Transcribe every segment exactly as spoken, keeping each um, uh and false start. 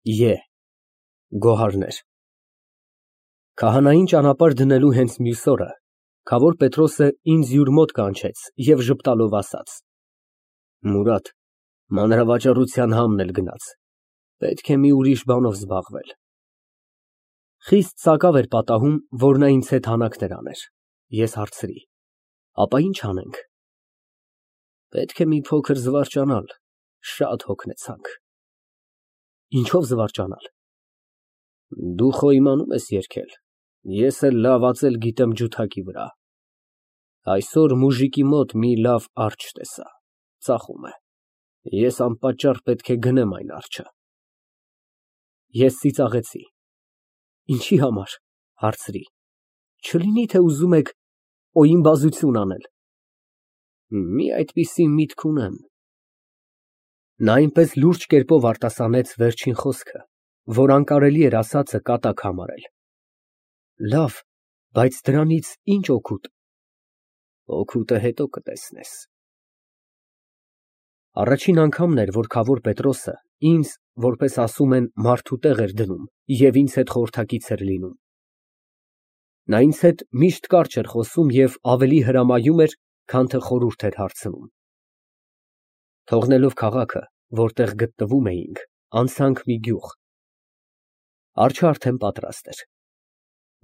Ե Գոհարներ Քահանային ճանապարհ դնելու հենց մյուս օրը քավոր Պետրոսը ինձ յուր մոտ կանչեց և ժպտալով ասաց. Մուրադ, մանրավաճառության համն էլ գնաց, պետք է մի ուրիշ բանով զբաղվել։ Խիստ սակավ էր պատահում, որ նա ինձ հետ հանակներ աներ, ես հարցրի. ապա ի՞նչ անենք։ Պետք է մի փոքր զվարճանալ, շատ հոգնեցանք։ Ինչո՞վ զվարճանալ։ Դու խո իմանում ես երգել, ես էլ լավ ածել գիտեմ ջութակի վրա։ Այսօր մուժիկի մոտ մի լավ արջը տեսա, ծախում է, ես անպատճառ պետք է գնեմ այն արջը։ Ես ծիծաղեցի։ Ինչի համար, հարցրի, չլինի թե ուզում եք օյիմբազություն անել։ Մի այդպիսի միտք ունեմ։ Նա այնպես լուրջ կերպով արտասանեց վերջին խոսքը, որ անկարելի էր ասածը կատակ համարել։ Լավ, բայց դրանից ի՞նչ օգուտ։ Օգուտը հետո կտեսնես։ Առաջին անգամն էր, որ քավոր Պետրոսը ինձ, որպես ասում են, մարդու տեղ էր դնում և ինձ հետ խորհրդակից էր լինում։ Նա ինձ հետ միշտ կարճ էր խոսում և ավելի հրամայում էր, քան թե խորհուրդ էր հարցնում։ Թողնելով քաղաքը, որտեղ գտնվում էինք, անցանք մի գյուղ։ Արջը արդեն պատրաստ էր։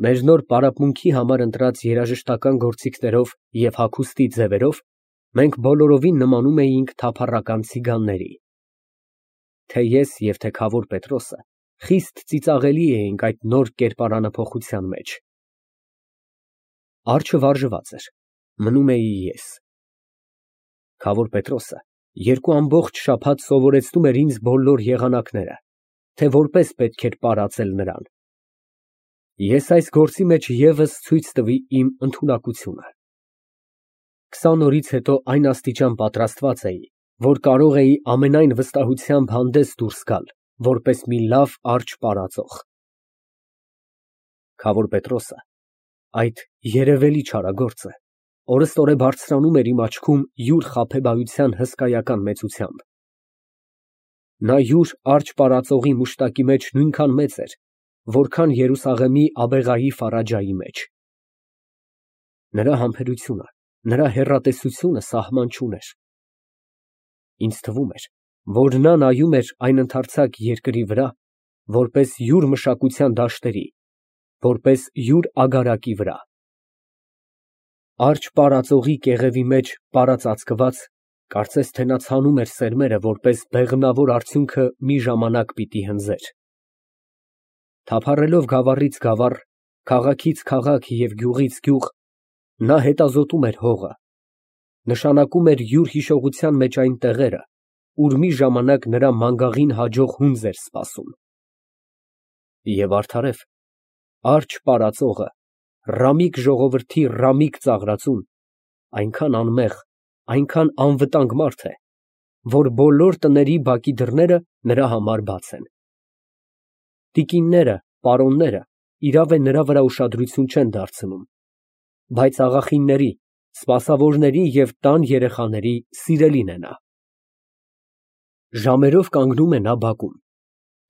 Մեր նոր պարապմունքի համար ընտրած երաժշտական գործիքներով և հագուստի ձևերով մենք բոլորովին նմանում էինք թափառական ցիգանների։ Թե ես և թե քավոր Պետրոսը խիստ ծիծաղելի էինք այդ նոր կերպարանափոխության մեջ։ Արջը վարժված էր, մնում էի ես։ Քավոր Պետրոսը երկու ամբողջ շաբաթ սովորեցնում էր ինձ բոլոր եղանակները, թե որպես պետք էր պարածել նրան։ Ես այս գործի մեջ ևս ցույց տվի իմ ընդունակությունը։ Քսան օրից հետո այն աստիճան պատրաստված էի, որ կարող էի ամենայն վստահությամբ հանդես դուրս գալ, որպես մի լավ արջը պարածող։ Քավոր Պետրոսը, այդ երևելի չարագործը, օրըստօրե բարձրանում էր իմ աչքում յուր խաբեբայության հսկայական մեծությամբ։ Նա յուր արջը պարածողի մուշտակի մեջ նույնքան մեծ էր, որքան Երուսաղեմի Աբեղայի Ֆարաջայի մեջ։ Նրա համբերությունը, նրա հեռատեսությունը սահման չուներ։ Ինձ թվում էր, որ նա նայում էր այն ընդարձակ երկրի վրա, որպես յուր մշակության դաշտերի, որպես յուր ագարակի վրա։ Արջը պարածողի կեղևի մեջ պարածածկված, կարծես թե նա ցանում էր սերմերը, որպես բեղմնավոր արդյունքը մի ժամանակ պիտի հնձեր։ Թափառելով գավառից գավառ, քաղաքից քաղաք և գյուղից գյուղ, նա հետազոտում էր հողը, նշանակում էր յուր հիշողության մեջ այն տեղերը, ուր մի ժամանակ նրա մանգաղին հաջող հունձ էր սպասում։ Եվ արդարև, արջը պարածողը, ռամիկ ժողովրդի ռամիկ ծաղրածուն, այնքան անմեղ, այնքան անվտանգ մարդ է, որ բոլոր տների բակի դռները նրա համար բաց են։ Տիկինները, պարոնները իրավ է նրա վրա ուշադրություն չեն դարձնում, բայց աղախինների, սպասավորների և տան երեխաների սիրելին է նա։ Ժամերով կանգնում է նա բակում,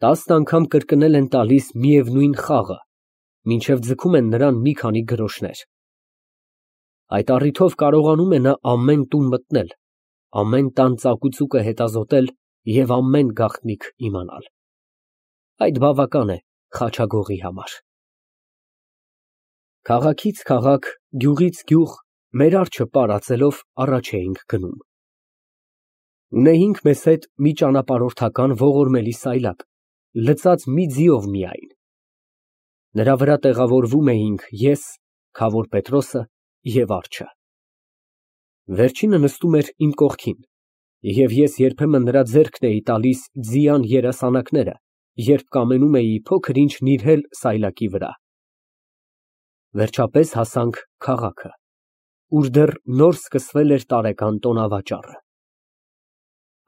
տասն անգամ կրկնել են տալիս միևնույն խաղը, մինչև ձգում են նրան մի քանի գրոշներ։ Այդ առիթով կարողանում է նա ամեն տուն մտնել, ամեն տան ծակուծուկը հետազոտել և ամեն գաղտնիք իմանալ։ Այդ բավական է խաչագողի համար։ Քաղաքից քաղաք, գյուղից գյուղ մեր արջը պարածելով առաջ էինք գնում։ Ունեինք մեզ հետ մի ճանապարհորդական ողորմելի սայլակ, լցած մի ձիով միայն։ Նրա վրա տեղավորվում էինք ես, քավոր Պետրոսը և արջը։ Վերջինը նստում էր իմ կողքին, և ես երբեմն նրա ձեռքն էի տալիս ձիան երասանակները, երբ կամենում էի փոքր ինչ նիրհել սայլակի վրա։ Վերջապես հասանք քաղաքը, ուր դեռ նոր սկսվել էր տարեկան տոնավաճառը։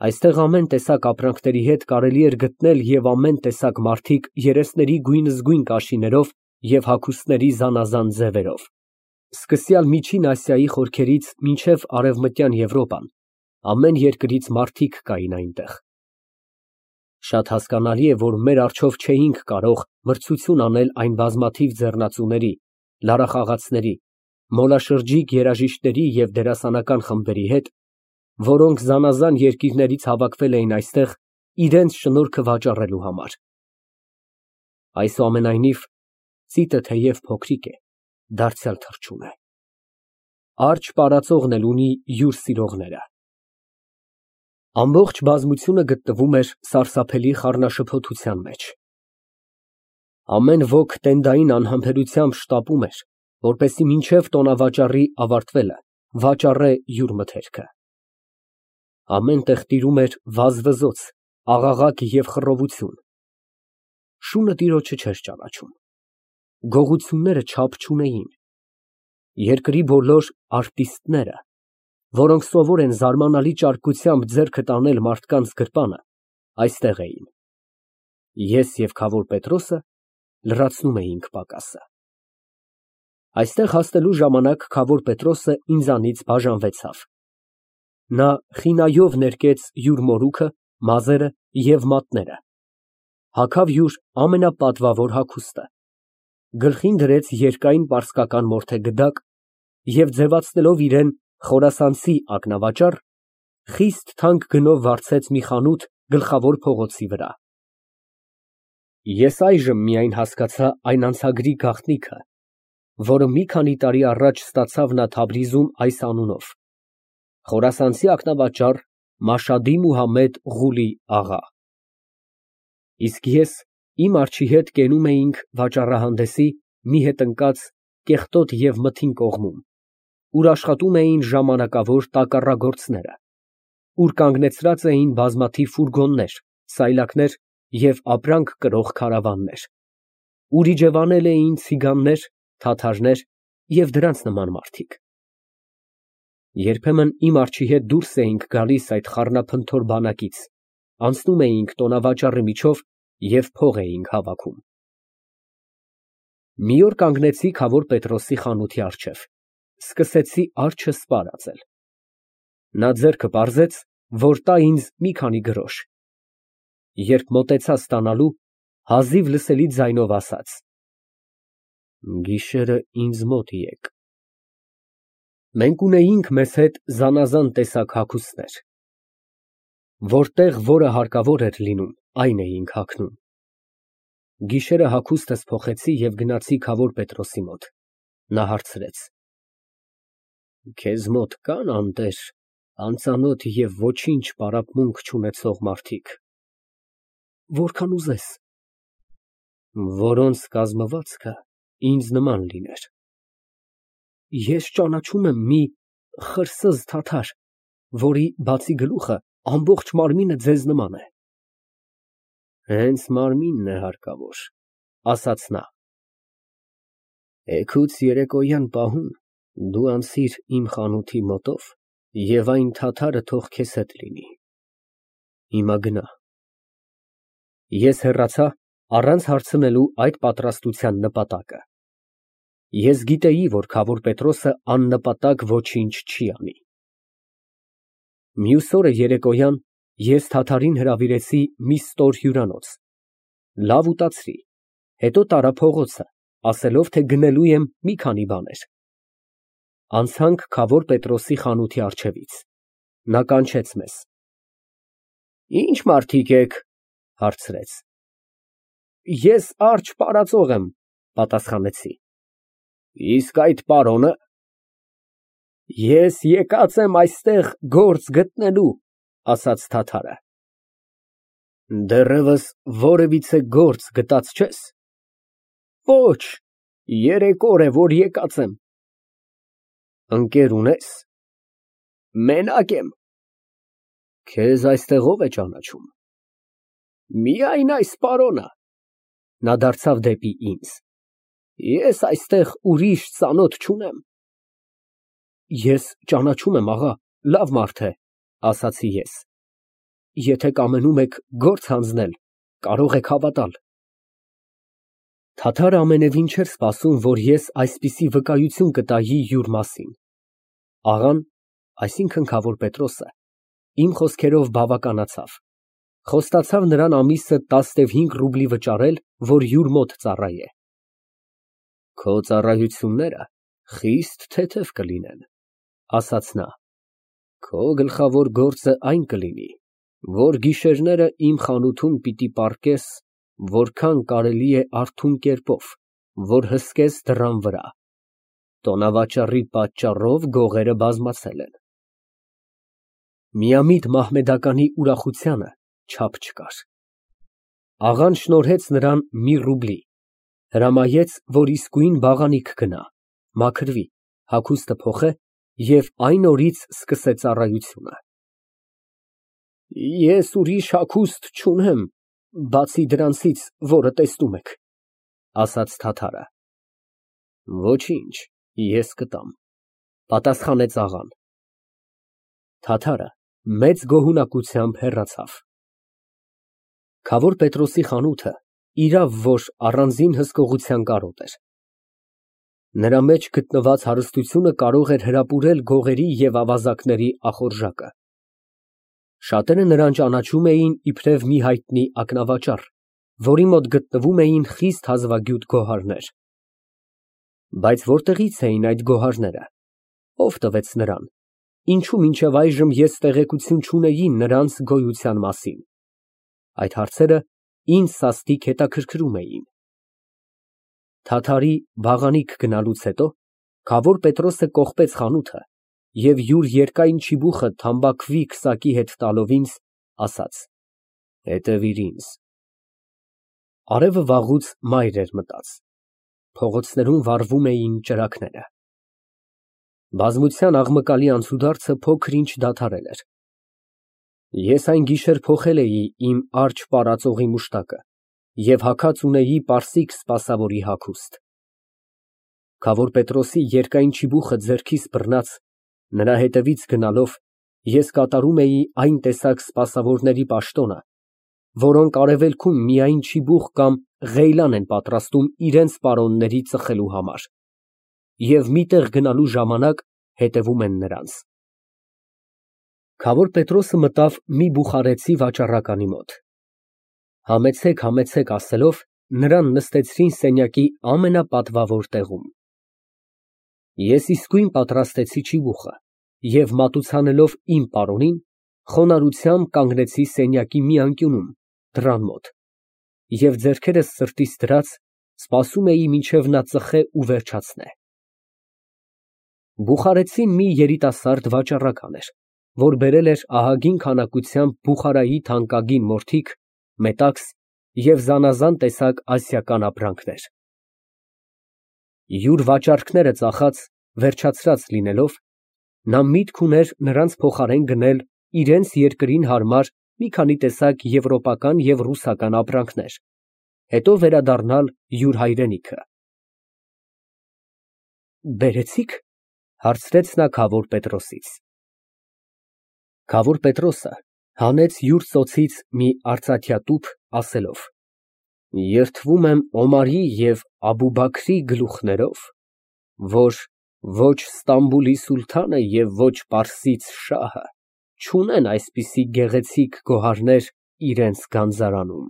Այստեղ ամեն տեսակ ապրանքների հետ կարելի էր գտնել և ամեն տեսակ մարդիկ երեսների գույնզգույն կաշիներով և հագուստների զանազան ձևերով, սկսյալ Միջին Ասիայի խորքերից մինչև Արևմտյան Եվրոպան, ամեն երկրից մարդիկ կային այնտեղ։ Շատ հասկանալի է, որ մեր առջև չէինք կարող մրցություն անել այն բազմաթիվ ձեռնածուների, լարախաղացների, մոլաշրջիկ երաժիշտների և դերասանական խմբերի հետ, որոնք զանազան երկիրներից հավաքվել էին այստեղ իրենց շնորհքը վաճառելու համար։ Այսուամենայնիվ, ծիտը թեև փոքրիկ է, դարձյալ թռչուն է։ Արջը պարածողն էլ ունի յուր սիրողները։ Ամբողջ բազմությունը գտնվում էր սարսափելի խառնաշփոթության մեջ։ Ամեն ոք տենդային անհամբերությամբ շտապում էր, որպեսզի մինչև տոնավաճառի ավարտվելը վաճառե յուր մթերքը։ Ամեն տեղ տիրում էր վազվզոց, աղաղակ և խռովություն։ Շունը տիրոջը չէր ճանաչում։ Գողությունները չափ չունեին։ Երկրի բոլոր արտիստները, որոնք սովոր են զարմանալի ճարպկությամբ ձեռքը տանել մարդկանց գրպանը, այստեղ էին։ Ես և քավոր Պետրոսը լրացնում էինք պակասը։ Այստեղ հասնելու ժամանակ քավոր Պետրոսը ինձանից բաժանվեցավ։ Նա խինայով ներկեց յուր մորուքը, մազերը և մատները, հագավ յուր ամենապատվավոր հագուստը, գլխին դրեց երկայն պարսկական մորթե գդակ և ձևացնելով իրան խորասանցի ակնավաճառ, խիստ թանկ գնով վարձեց մի խանութ գլխավոր փողոցի վրա։ Ես այժմ միայն հասկացա այն անցագրի գաղտնիքը, որը մի քանի տարի առաջ ստացավ նա Թավրիզում այս անունով՝ խորասանցի ակնավաճառ Մաշադի Մուհամմեդ Ղուլի աղա։ Իսկ ես իմ արջի հետ կենում էինք վաճառահանդեսի մի հետ ընկած կեղտոտ և մթին կողմում, ուր աշխատում էին ժամանակավոր տակառագործները, ուր կանգնեցրած էին բազմաթիվ ֆուրգոններ, սայլակներ և ապրանք կրող քարավաններ, ուր իջևանել էին ցիգաններ, թաթարներ և դրանց նման մարդիկ։ Երբեմն իմ արջի հետ դուրս էինք գալիս այդ խառնափնթոր բանակից, անցնում էինք տոնավաճառի միջով և փող էինք հավաքում։ Մի օր կանգնեցի քավոր Պետրոսի խանութի առջև, սկսեցի արջը սպառածել։ Նա ձեռքը պարզեց, որ տա ինձ մի քանի գրոշ։ Երբ մոտեցա ստանալու, հազիվ լսելի ձայնով ասաց. «Գիշերը ինձ մոտ եկ»։ Մենք ունեինք մեզ հետ զանազան տեսակ հագուստներ։ Որտեղ որը հարկավոր էր լինում, այն էինք հագնում։ Գիշերը հագուստս փոխեցի և գնացի քավոր Պետրոսի մոտ։ Նա հարցրեց. «Քեզ մոտ կա՞ն անտեր, անծանոթ և ոչինչ պարապմունք չունեցող մարդիկ»։ Որքան ուզես։ Որոնց կազմվածքը ինձ նման լիներ։ Ես ճանաչում եմ մի խրսզ թաթար, որի բացի գլուխը, ամբողջ մարմինը ձեզ նման է։ Հենց մարմինն է հարկավոր, ասաց նա։ Էգուց երեկոյան պահուն դու անցիր իմ խանութի մոտով և այն թաթարը թող քեզ հետ լինի։ Հիմա գնա։ Ես հեռացա, առանց հարցնելու այդ պատրաստության նպատակը։ Ես գիտեի, որ քավոր Պետրոսը աննպատակ ոչինչ չի անի։ Մյուս օրը երեկոյան ես թաթարին հրավիրեցի մի ստոր հյուրանոց, լավ ուտացրի, հետո տարա փողոցը, ասելով, թե գնելու եմ մի քանի բաներ։ Անցանք քավոր Պետրոսի խանութի առջևից։ Նա կանչեց մեզ։ Ի՞նչ մարդիկ եք, հարցրեց։ Ես արջ պարածող եմ, պատասխանեցի։ Իսկ այդ պարոնը։ Ես եկած եմ այստեղ գործ գտնելու, ասաց թաթարը։ Դեռևս որևիցե գործ գտած չե՞ս։ Ոչ, երեք օր է, որ եկած եմ։ Ընկեր ունե՞ս։ Մենակ եմ։ Քեզ այստեղ ո՞վ է ճանաչում։ Միայն այս պարոնը։ Նա դարձավ դեպի ինձ։ Ես այստեղ ուրիշ ծանոթ չունեմ։ Ես ճանաչում եմ, աղա, լավ մարդ է, ասացի ես։ Եթե կամենում եք գործ հանձնել, կարող եք հավատալ։ Թաթարը ամենևին չէր սպասում, որ ես այսպիսի վկայություն կտայի յուր մասին։ Աղան, այսինքն քավոր Պետրոսը, իմ խոսքերով բավականացավ, Խոստացավ նրան ամիսը տասնհինգ ռուբլի վճարել, որ յուր մոտ ծառայե։ Քո ծառայությունները խիստ թեթև կլինեն, ասաց նա, քո գլխավոր գործը այն կլինի, որ գիշերները իմ խանութում պիտի պառկես, որքան կարելի է արթուն կերպով, որ հսկես դռան վրա, տոնավաճառի պատճառով գողերը բազմացել են։ Միամիտ Մահմեդականի ուրախությանը չափ չկար։ Աղան շնորհեց նրան մի ռուբլի, հրամայեց, որ իսկույն բաղանիք գնա, մաքրվի, հագուստը փոխե և այն օրից սկսե ծառայությունը։ Ես ուրիշ հագուստ չունեմ, բացի դրանցից, որը տեսնում եք, ասաց թաթարը։ Ոչինչ, ես կտամ, պատասխանեց աղան։ Թաթարը մեծ գոհունակությամբ հեռացավ։ Քավոր Պետրոսի խանութը իրավ որ առանձին հսկողության կարոտ էր։ Նրա մեջ գտնված հարստությունը կարող էր հրապուրել գողերի և ավազակների ախորժակը։ Շատերը նրան ճանաչում էին իբրև մի հայտնի ակնավաճառ, որի մոտ գտնվում էին խիստ հազվագյուտ գոհարներ։ Բայց որտեղի՞ց էին այդ գոհարները, ով տվեց նրան, ինչու մինչև այժմ ես տեղեկություն չունեի նրանց գոյության մասին։ Այդ հարցերը ինձ սաստիկ հետաքրքրում էին։ Թաթարի բաղանիք գնալուց հետո քավոր Պետրոսը կողպեց խանութը և յուր երկայն չիբուխը թամբաքվի քսակի հետ տալով ինձ, ասաց. Հետևիր ինձ։ Արևը վաղուց մայր էր մտած, փողոցներում վառվում էին ճրագները։ Բազմության աղմկալի անցուդարձը փոքր-ինչ դադարել էր։ Ես այն գիշեր փոխել էի իմ արջը պարածողի մուշտակը և հագած ունեի պարսիկ սպասավորի հագուստ։ Քավոր Պետրոսի երկայն չիբուխը ձեռքիս բռնած, նրա հետևից գնալով, ես կատարում էի այն տեսակ սպասավորների պաշտոնը, որոնք արևելքում միայն չիբուխ կամ ղեյլան են պատրաստում իրենց պարոնների ծխելու համար և մի տեղ գնալու ժամանակ հետևում են նրանց։ Քավոր Պետրոսը մտավ մի բուխարեցի վաճառականի մոտ։ Համեցեք, համեցեք ասելով, նրան նստեցրին սենյակի ամենապատվավոր տեղում։ Ես իսկույն պատրաստեցի չիբուխը և մատուցանելով իմ պարոնին, խոնարհությամբ կանգնեցի սենյակի մի անկյունում, դռան մոտ, և ձեռքերս սրտիս դրած, սպասում էի, մինչև նա ծխե ու վերջացնե։ Բուխարեցին մի երիտասարդ վաճառական էր, որ բերել էր ահագին քանակությամբ Բուխարայի թանկագին մորթիկ, մետաքս և զանազան տեսակ ասիական ապրանքներ։ Յուր վաճառքները ծախած, վերջացրած լինելով, նա միտք ուներ նրանց փոխարեն գնել իրենց երկրին հարմար մի քանի տեսակ եվրոպական և ռուսական ապրանքներ, հետո վերադառնալ յուր հայրենիքը։ Բերեցի՞ք, հարցրեց նա քավոր Պետրոսից։ Քավոր Պետրոսը հանեց յուր ծոցից մի արծաթյա տուփ, ասելով. Երդվում եմ Օմարի և Աբուբաքրի գլուխներով, որ ոչ Ստամբուլի սուլթանը և ոչ Պարսից շահը չունեն այսպիսի գեղեցիկ գոհարներ իրենց գանձարանում։